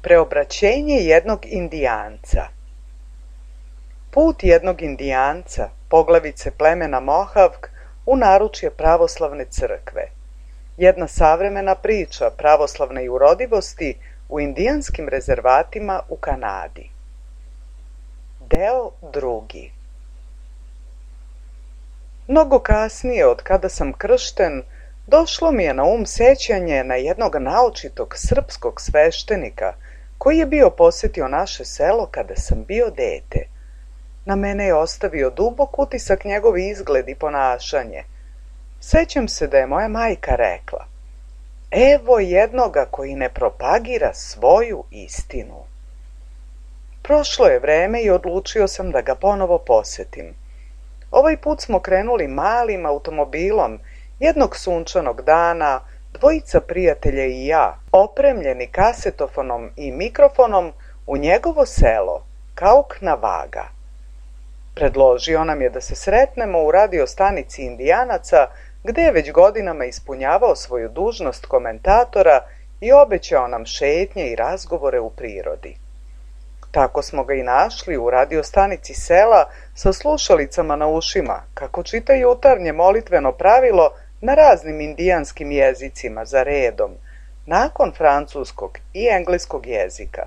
Preobraćenje jednog indijanca. Put jednog indijanca, poglavice plemena Mohavk, u naručje pravoslavne crkve. Jedna savremena priča pravoslavne i urodivosti u indijanskim rezervatima u Kanadi. Deo drugi. Mnogo kasnije, od kada sam kršten, došlo mi je na sećanje na jednog naočitog srpskog sveštenika koji je bio posetio naše selo kada sam bio dete. Na mene je ostavio dubok utisak njegov izgled i ponašanje. Sećam se da je moja majka rekla: "Evo jednoga koji ne propagira svoju istinu." Prošlo je vreme i odlučio sam da ga ponovo posetim. Ovaj put smo krenuli malim automobilom jednog sunčanog dana, dvojica prijatelja i ja, opremljeni kasetofonom i mikrofonom, u njegovo selo, Kauk na Vaga. Predložio nam je da se sretnemo u radio stanici Indijanaca, gde je već godinama ispunjavao svoju dužnost komentatora i obećao nam šetnje i razgovore u prirodi. Tako smo ga i našli u radio stanici sela sa slušalicama na ušima, kako čita jutarnje molitveno pravilo na raznim indijanskim jezicima za redom, nakon francuskog i engleskog jezika.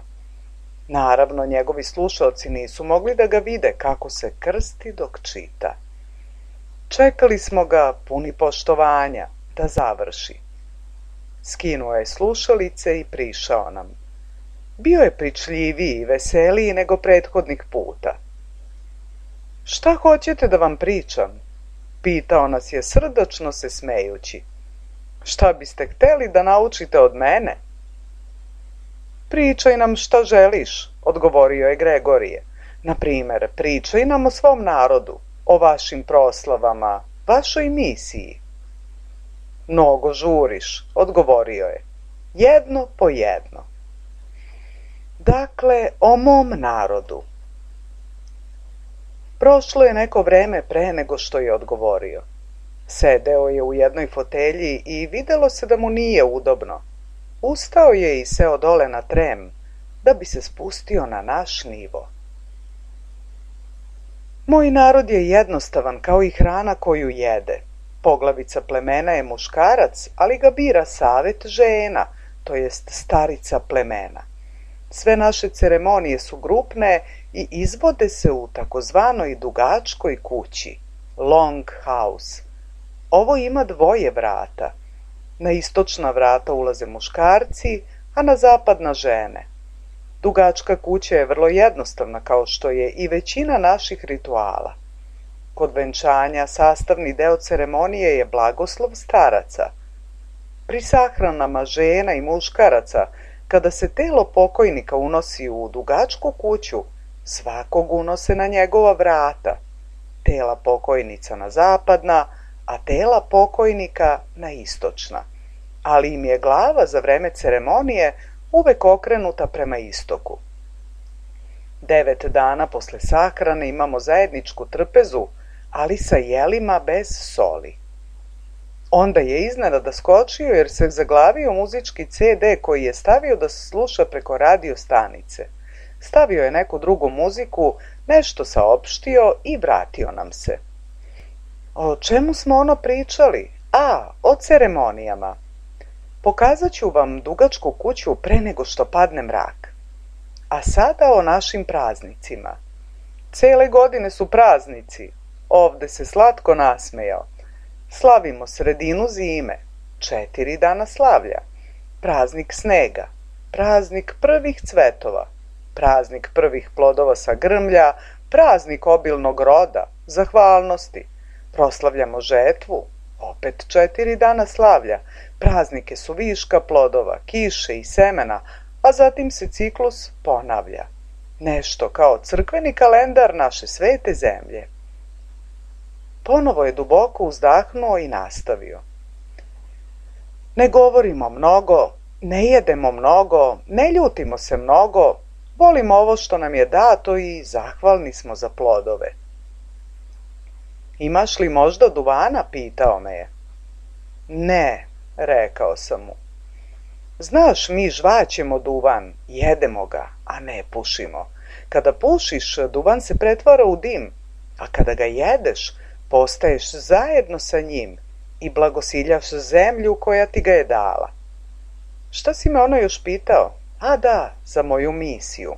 Naravno, njegovi slušalci nisu mogli da ga vide kako se krsti dok čita. Čekali smo ga puni poštovanja da završi. Skinuo je slušalice i prišao nam. Bio je pričljiviji i veseliji nego prethodnih puta. "Šta hoćete da vam pričam?" pitao nas je srdačno se smejući. "Šta biste hteli da naučite od mene?" "Pričaj nam šta želiš," odgovorio je Gregorije. "Na primer, pričaj nam o svom narodu, o vašim proslavama, vašoj misiji." "Mnogo žuriš," odgovorio je. "Jedno po jedno." Dakle, o mom narodu. Prošlo je neko vreme pre nego što je odgovorio. Sedeo je u jednoj fotelji i videlo se da mu nije udobno. Ustao je i seo dole na trem, da bi se spustio na naš nivo. "Moj narod je jednostavan kao i hrana koju jede. Poglavica plemena je muškarac, ali ga bira savet žena, to jest starica plemena. Sve naše ceremonije su grupne i izvode se u takozvanoj dugačkoj kući, long house. Ovo ima dvoje vrata. Na istočna vrata ulaze muškarci, a na zapadna žene. Dugačka kuća je vrlo jednostavna, kao što je i većina naših rituala. Kod venčanja sastavni deo ceremonije je blagoslov staraca. Pri sahranama žena i muškaraca, kada se telo pokojnika unosi u dugačku kuću, svakog unose na njegova vrata, tela pokojnica na zapadna, a tela pokojnika na istočna, ali im je glava za vreme ceremonije uvek okrenuta prema istoku. 9 dana posle sahrane imamo zajedničku trpezu, ali sa jelima bez soli. Onda je iznenada skočio jer se zaglavio muzički CD koji je stavio da se sluša preko radio stanice. Stavio je neku drugu muziku, nešto saopštio i vratio nam se. "O čemu smo ono pričali? O ceremonijama. Pokazat ću vam dugačku kuću pre nego što padne mrak. A sada o našim praznicima. Cele godine su praznici." Ovde se slatko nasmejao. "Slavimo sredinu zime, 4 dana slavlja, praznik snega, praznik prvih cvetova, praznik prvih plodova sa grmlja, praznik obilnog roda, zahvalnosti, proslavljamo žetvu, opet 4 dana slavlja, praznike su viška plodova, kiše i semena, a zatim se ciklus ponavlja. Nešto kao crkveni kalendar naše svete zemlje." Ponovo je duboko uzdahnuo i nastavio. "Ne govorimo mnogo, ne jedemo mnogo, ne ljutimo se mnogo, volimo ovo što nam je dato i zahvalni smo za plodove." "Imaš li možda duvana?" pitao me je. "Ne," rekao sam mu. Znaš, mi žvaćemo duvan, jedemo ga, a ne pušimo. Kada pušiš, duvan se pretvara u dim, a kada ga jedeš, postaješ zajedno sa njim i blagosiljaš zemlju koja ti ga je dala. Šta si me ono još pitao? A da, za moju misiju.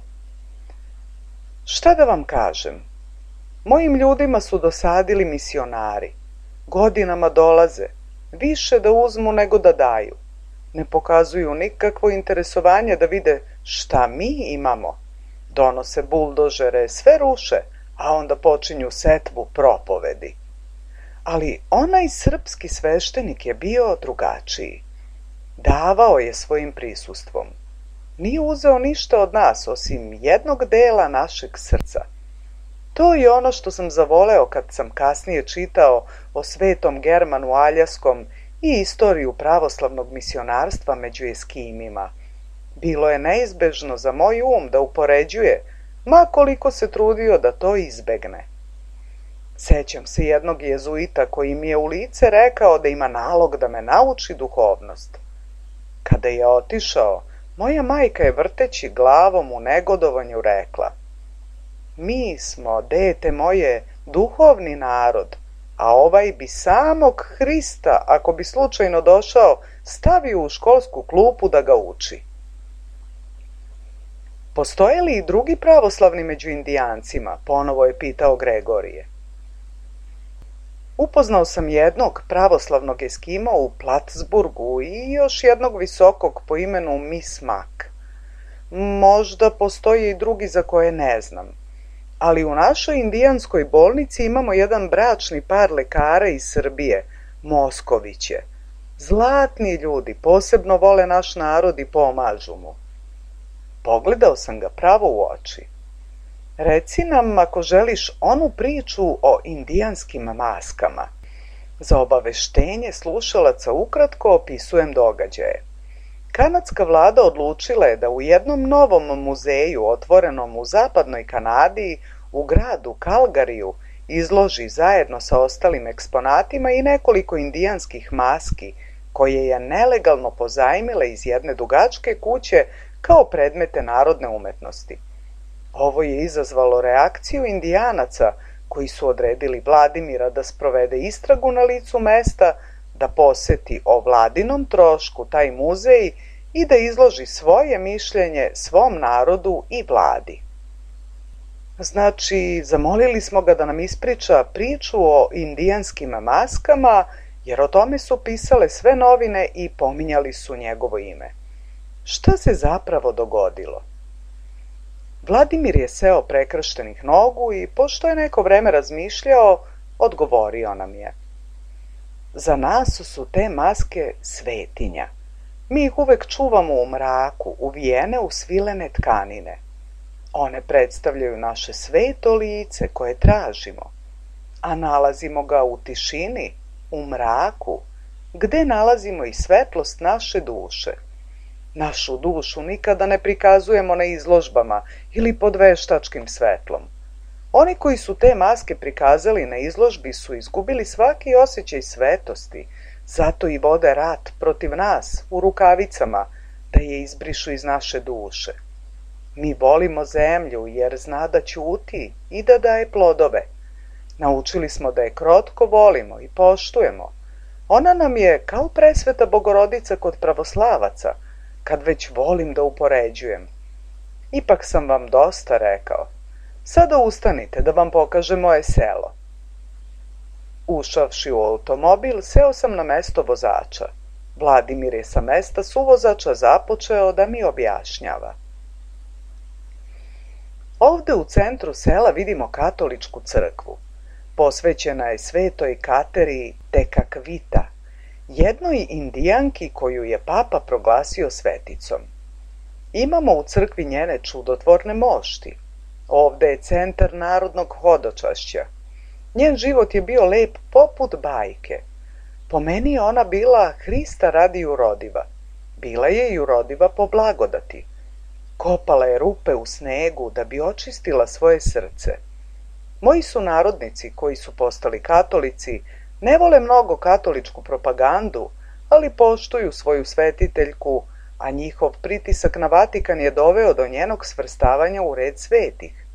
Šta da vam kažem? Mojim ljudima su dosadili misionari. Godinama dolaze, više da uzmu nego da daju. Ne pokazuju nikakvo interesovanje da vide šta mi imamo. Donose buldožere, sve ruše, a onda počinju setvu propovedi. Ali onaj srpski sveštenik je bio drugačiji. Davao je svojim prisustvom. Nije uzeo ništa od nas, osim jednog dela našeg srca. To je ono što sam zavoleo kad sam kasnije čitao o svetom Germanu Aljaskom i istoriju pravoslavnog misionarstva među Eskimima. Bilo je neizbežno za moj um da upoređuje, ma koliko se trudio da to izbegne. Sećam se jednog jezuita koji mi je u lice rekao da ima nalog da me nauči duhovnost. Kada je otišao, moja majka je vrteći glavom u negodovanju rekla: mi smo, dete moje, duhovni narod, a ovaj bi samog Hrista, ako bi slučajno došao, stavio u školsku klupu da ga uči. Postoje li i drugi pravoslavni među Indijancima? Ponovo je pitao Gregorije. Upoznao sam jednog pravoslavnog Eskima u Plattsburgu i još jednog visokog po imenu Miss Mack. Možda postoje i drugi za koje ne znam. Ali u našoj indijanskoj bolnici imamo jedan bračni par lekara iz Srbije, Moskoviće. Zlatni ljudi, posebno vole naš narod i pomažu mu. Pogledao sam ga pravo u oči. Reci nam, ako želiš, onu priču o indijanskim maskama. Za obaveštenje slušalaca ukratko opisujem događaje. Kanadska vlada odlučila je da u jednom novom muzeju otvorenom u zapadnoj Kanadi, u gradu Kalgariju, izloži zajedno sa ostalim eksponatima i nekoliko indijanskih maski koje je nelegalno pozajmila iz jedne dugačke kuće kao predmete narodne umetnosti. Ovo je izazvalo reakciju Indijanaca koji su odredili Vladimira da sprovede istragu na licu mesta, da poseti o vladinom trošku taj muzej i da izloži svoje mišljenje svom narodu i vladi. Znači, zamolili smo ga da nam ispriča priču o indijanskim maskama, jer o tome su pisale sve novine i pominjali su njegovo ime. Šta se zapravo dogodilo? Vladimir je seo prekrštenih nogu i, pošto je neko vreme razmišljao, odgovorio nam je: za nas su te maske svetinja. Mi ih uvek čuvamo u mraku, uvijene u svilene tkanine. One predstavljaju naše sveto lice koje tražimo, a nalazimo ga u tišini, u mraku, gde nalazimo i svetlost naše duše. Našu dušu nikada ne prikazujemo na izložbama ili pod veštačkim svetlom. Oni koji su te maske prikazali na izložbi su izgubili svaki osjećaj svetosti, zato i vode rat protiv nas u rukavicama da je izbrišu iz naše duše. Mi volimo zemlju jer zna da ćuti i da daje plodove. Naučili smo da je krotko volimo i poštujemo. Ona nam je kao presveta Bogorodica kod pravoslavaca, kad već volim da upoređujem. Ipak sam vam dosta rekao. Sada ustanite da vam pokažem moje selo. Ušavši u automobil, seo sam na mesto vozača. Vladimir je sa mesta suvozača započeo da mi objašnjava. Ovde u centru sela vidimo katoličku crkvu. Posvećena je svetoj Kateri Tekakvita, jednoj indijanki koju je papa proglasio sveticom. Imamo u crkvi njene čudotvorne mošti. Ovde je centar narodnog hodočašća. Njen život je bio lep poput bajke. Po meni je ona bila Hrista radi urodiva. Bila je i urodiva po blagodati. Kopala je rupe u snegu da bi očistila svoje srce. Moji sunarodnici koji su postali katolici ne vole mnogo katoličku propagandu, ali poštuju svoju svetiteljku, a njihov pritisak na Vatikan je doveo do njenog svrstavanja u red svetih.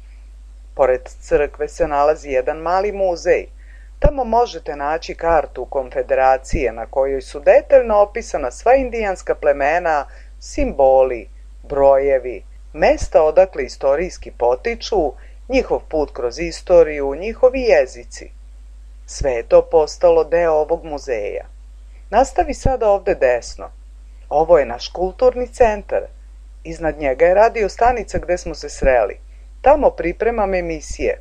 Pored crkve se nalazi jedan mali muzej. Tamo možete naći kartu konfederacije na kojoj su detaljno opisana sva indijanska plemena, simboli, brojevi, mesta odakle istorijski potiču, njihov put kroz istoriju, njihovi jezici. Sve je to postalo deo ovog muzeja. Nastavi sada ovde desno. Ovo je naš kulturni centar. Iznad njega je radio stanica gde smo se sreli. Tamo pripremam emisije.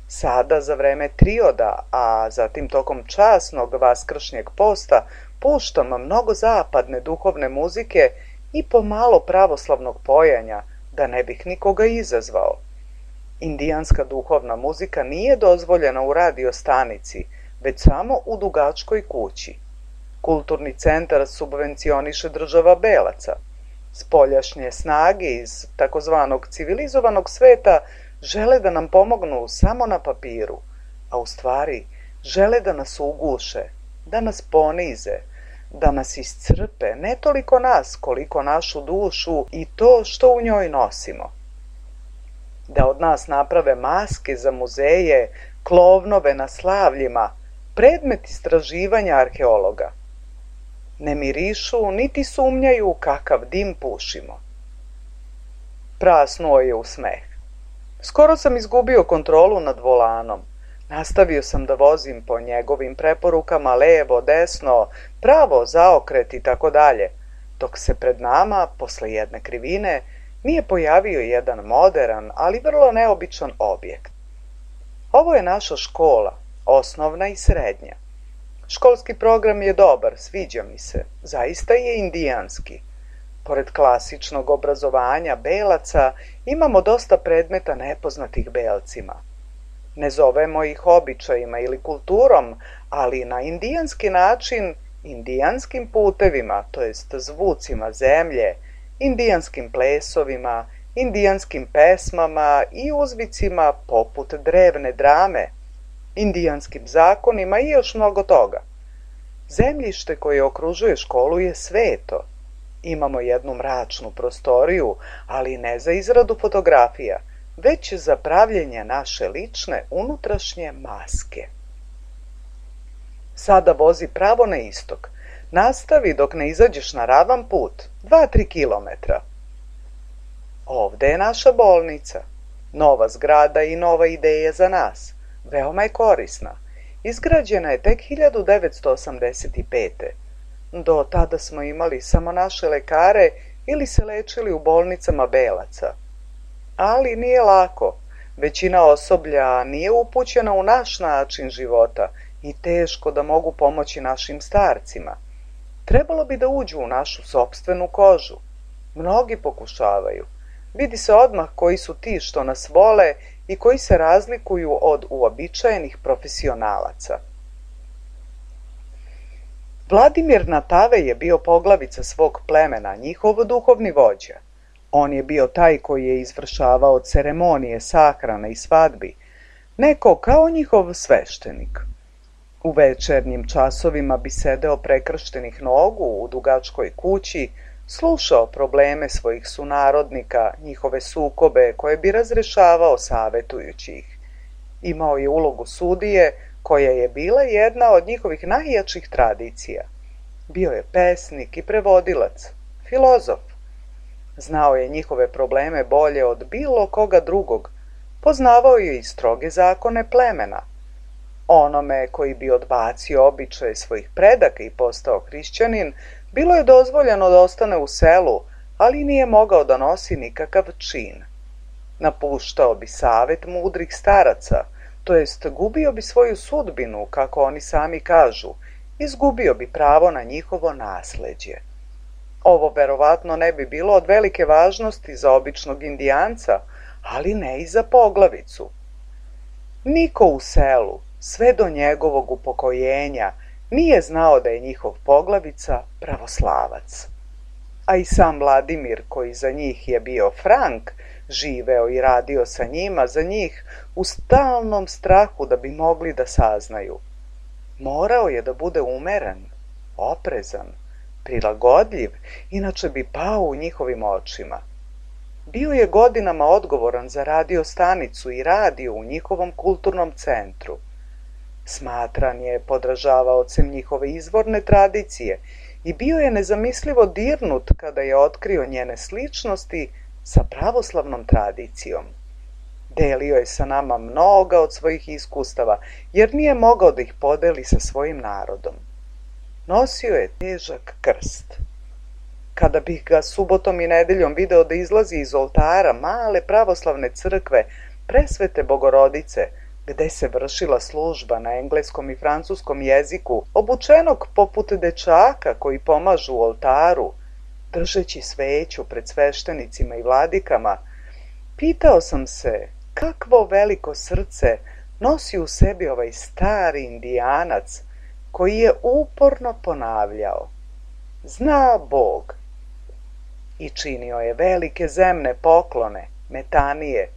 Sada za vreme trioda, a zatim tokom časnog vaskršnjeg posta, puštam mnogo zapadne duhovne muzike i pomalo pravoslavnog pojanja, da ne bih nikoga izazvao. Indijanska duhovna muzika nije dozvoljena u radio stanici, već samo u dugačkoj kući. Kulturni centar subvencioniše država Belaca. Spoljašnje snage iz takozvanog civilizovanog sveta žele da nam pomognu samo na papiru, a u stvari žele da nas uguše, da nas ponize, da nas iscrpe, ne toliko nas koliko našu dušu i to što u njoj nosimo. Da od nas naprave maske za muzeje, klovnove na slavljima, predmet istraživanja arheologa. Ne mirišu, niti sumnjaju kakav dim pušimo. Prasnuo je u smeh. Skoro sam izgubio kontrolu nad volanom. Nastavio sam da vozim po njegovim preporukama levo, desno, pravo, zaokret i tako dalje, dok se pred nama, posle jedne krivine, nije pojavio jedan moderan, ali vrlo neobičan objekt. Ovo je naša škola, osnovna i srednja. Školski program je dobar, sviđa mi se, zaista je indijanski. Pored klasičnog obrazovanja Belaca imamo dosta predmeta nepoznatih Belcima. Ne zovemo ih običajima ili kulturom, ali na indijanski način, indijanskim putevima, to jest zvucima zemlje, indijanskim plesovima, indijanskim pesmama i uzvicima poput drevne drame, indijanskim zakonima i još mnogo toga. Zemljište koje okružuje školu je sveto. Imamo jednu mračnu prostoriju, ali ne za izradu fotografija, već za pravljenje naše lične unutrašnje maske. Sada vozi pravo na istok. Nastavi dok ne izađeš na ravan put, 2-3 kilometra. Ovde je naša bolnica. Nova zgrada i nova ideja za nas. Veoma je korisna. Izgrađena je tek 1985. Do tada smo imali samo naše lekare ili se lečili u bolnicama Belaca. Ali nije lako. Većina osoblja nije upućena u naš način života i teško da mogu pomoći našim starcima. Trebalo bi da uđu u našu sopstvenu kožu. Mnogi pokušavaju. Vidi se odmah koji su ti što nas vole i koji se razlikuju od uobičajenih profesionalaca. Vladimir Natave je bio poglavica svog plemena, njihov duhovni vođa. On je bio taj koji je izvršavao ceremonije sahrane i svadbi, neko kao njihov sveštenik. U večernjim časovima bi sedeo prekrštenih nogu u dugačkoj kući, slušao probleme svojih sunarodnika, njihove sukobe koje bi razrešavao savetujući ih. Imao je ulogu sudije, koja je bila jedna od njihovih najjačih tradicija. Bio je pesnik i prevodilac, filozof. Znao je njihove probleme bolje od bilo koga drugog, poznavao je i stroge zakone plemena. Onome koji bi odbacio običaje svojih predaka i postao hrišćanin, bilo je dozvoljeno da ostane u selu, ali nije mogao da nosi nikakav čin. Napuštao bi savet mudrih staraca, to jest gubio bi svoju sudbinu, kako oni sami kažu, izgubio bi pravo na njihovo nasleđe. Ovo verovatno ne bi bilo od velike važnosti za običnog indijanca, ali ne i za poglavicu. Niko u selu, sve do njegovog upokojenja, nije znao da je njihov poglavica pravoslavac. A i sam Vladimir, koji za njih je bio Frank, živeo i radio sa njima za njih u stalnom strahu da bi mogli da saznaju. Morao je da bude umeren, oprezan, prilagodljiv, inače bi pao u njihovim očima. Bio je godinama odgovoran za radio stanicu i radio u njihovom kulturnom centru. Smatran je podražavaocem njihove izvorne tradicije i bio je nezamislivo dirnut kada je otkrio njene sličnosti sa pravoslavnom tradicijom. Delio je sa nama mnoga od svojih iskustava, jer nije mogao da ih podeli sa svojim narodom. Nosio je težak krst. Kada bih ga subotom i nedeljom video da izlazi iz oltara male pravoslavne crkve Presvete Bogorodice, gde se vršila služba na engleskom i francuskom jeziku, obučenog poput dečaka koji pomažu u oltaru, držeći sveću pred sveštenicima i vladikama, pitao sam se kakvo veliko srce nosi u sebi ovaj stari indijanac koji je uporno ponavljao: zna Bog. I činio je velike zemne poklone, metanije,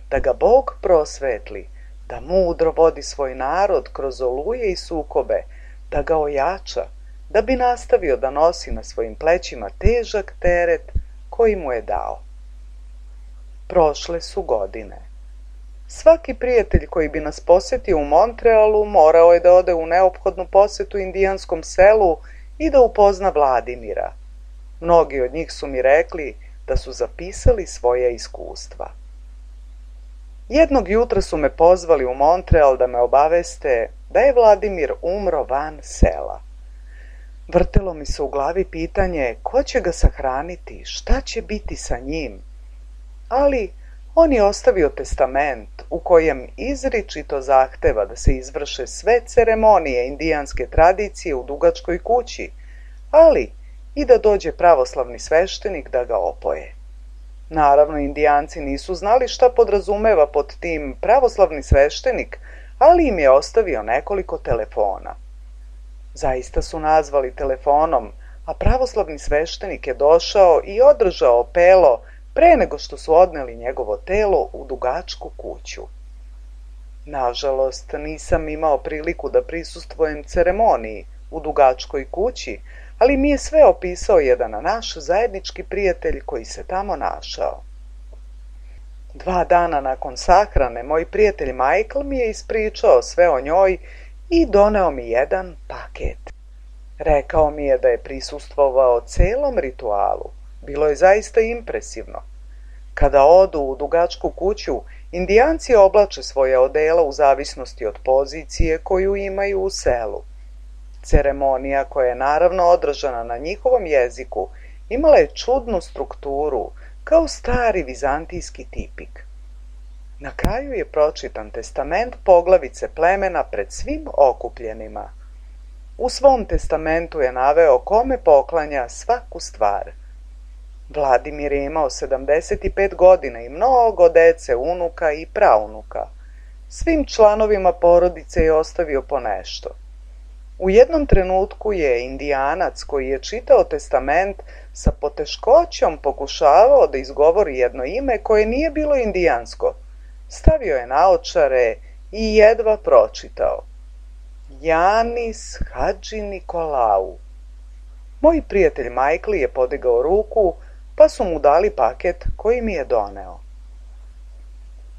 da ga Bog prosvetli, da mudro vodi svoj narod kroz oluje i sukobe, da ga ojača, da bi nastavio da nosi na svojim plećima težak teret koji mu je dao. Prošle su godine. Svaki prijatelj koji bi nas posetio u Montrealu morao je da ode u neophodnu posetu indijanskom selu i da upozna Vladimira. Mnogi od njih su mi rekli da su zapisali svoja iskustva. Jednog jutra su me pozvali u Montreal da me obaveste da je Vladimir umro van sela. Vrtelo mi se u glavi pitanje ko će ga sahraniti, šta će biti sa njim. Ali on je ostavio testament u kojem izričito zahteva da se izvrše sve ceremonije indijanske tradicije u dugačkoj kući, ali i da dođe pravoslavni sveštenik da ga opoje. Naravno, indijanci nisu znali šta podrazumeva pod tim pravoslavni sveštenik, ali im je ostavio nekoliko telefona. Zaista su nazvali telefonom, a pravoslavni sveštenik je došao i održao pelo pre nego što su odneli njegovo telo u dugačku kuću. Nažalost, nisam imao priliku da prisustvujem ceremoniji u dugačkoj kući, ali mi je sve opisao jedan naš zajednički prijatelj koji se tamo našao. 2 dana nakon sahrane, moj prijatelj Michael mi je ispričao sve o njoj i doneo mi jedan paket. Rekao mi je da je prisustvovao celom ritualu. Bilo je zaista impresivno. Kada odu u dugačku kuću, indijanci oblače svoje odela u zavisnosti od pozicije koju imaju u selu. Ceremonija, koja je naravno održana na njihovom jeziku, imala je čudnu strukturu, kao stari vizantijski tipik. Na kraju je pročitan testament poglavice plemena pred svim okupljenima. U svom testamentu je naveo kome poklanja svaku stvar. Vladimir je imao 75 godina i mnogo dece, unuka i praunuka. Svim članovima porodice je ostavio po nešto. U jednom trenutku je indijanac koji je čitao testament sa poteškoćom pokušavao da izgovori jedno ime koje nije bilo indijansko. Stavio je naočare i jedva pročitao: Janis Hadži Nikolau. Moj prijatelj Michael je podigao ruku, pa su mu dali paket koji mi je doneo.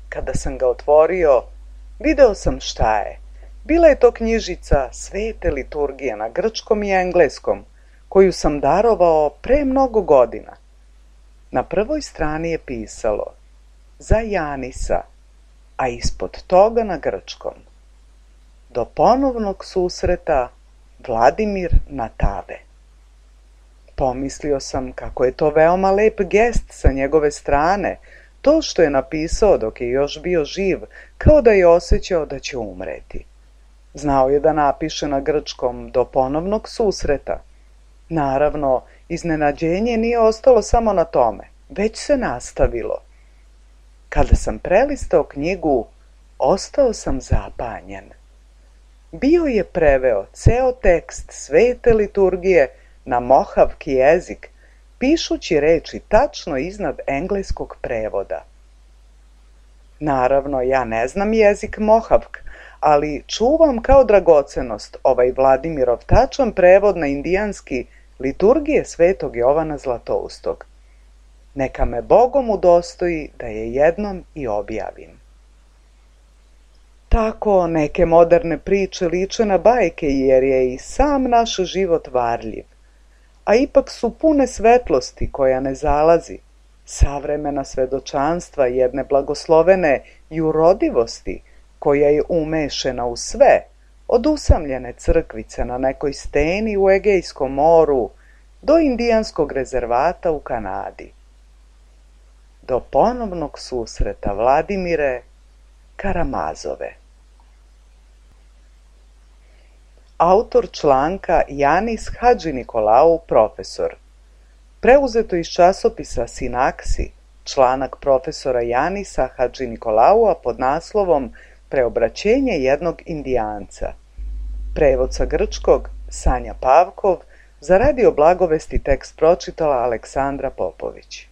Kada sam ga otvorio, video sam šta je. Bila je to knjižica Svete liturgije na grčkom i engleskom, koju sam darovao pre mnogo godina. Na prvoj strani je pisalo za Janisa, a ispod toga na grčkom: do ponovnog susreta, Vladimir Natave. Pomislio sam kako je to veoma lep gest sa njegove strane, to što je napisao dok je još bio živ, kao da je osjećao da će umreti. Znao je da napiše na grčkom do ponovnog susreta. Naravno, iznenađenje nije ostalo samo na tome, već se nastavilo. Kada sam prelistao knjigu, ostao sam zapanjen. Bio je preveo ceo tekst Svete liturgije na mohavki jezik, pišući reči tačno iznad engleskog prevoda. Naravno, ja ne znam jezik mohavk, ali čuvam kao dragocenost ovaj Vladimirov tačan prevod na indijanski liturgije svetog Jovana Zlatoustog. Neka me Bogom udostoji da je jednom i objavim. Tako neke moderne priče liče na bajke jer je i sam naš život varljiv, a ipak su pune svetlosti koja ne zalazi, savremena svedočanstva jedne blagoslovene jurodivosti koja je umešena u sve, od usamljene crkvice na nekoj steni u Egejskom moru do indijanskog rezervata u Kanadi. Do ponovnog susreta, Vladimire Karamazove. Autor članka Janis Hadžinikolau, profesor. Preuzeto iz časopisa Sinaksi, članak profesora Janisa Hadžinikolaua pod naslovom Preobraćenje jednog indijanca. Prevod sa grčkog Sanja Pavkov, za Radio Blagovesti tekst pročitala Aleksandra Popović.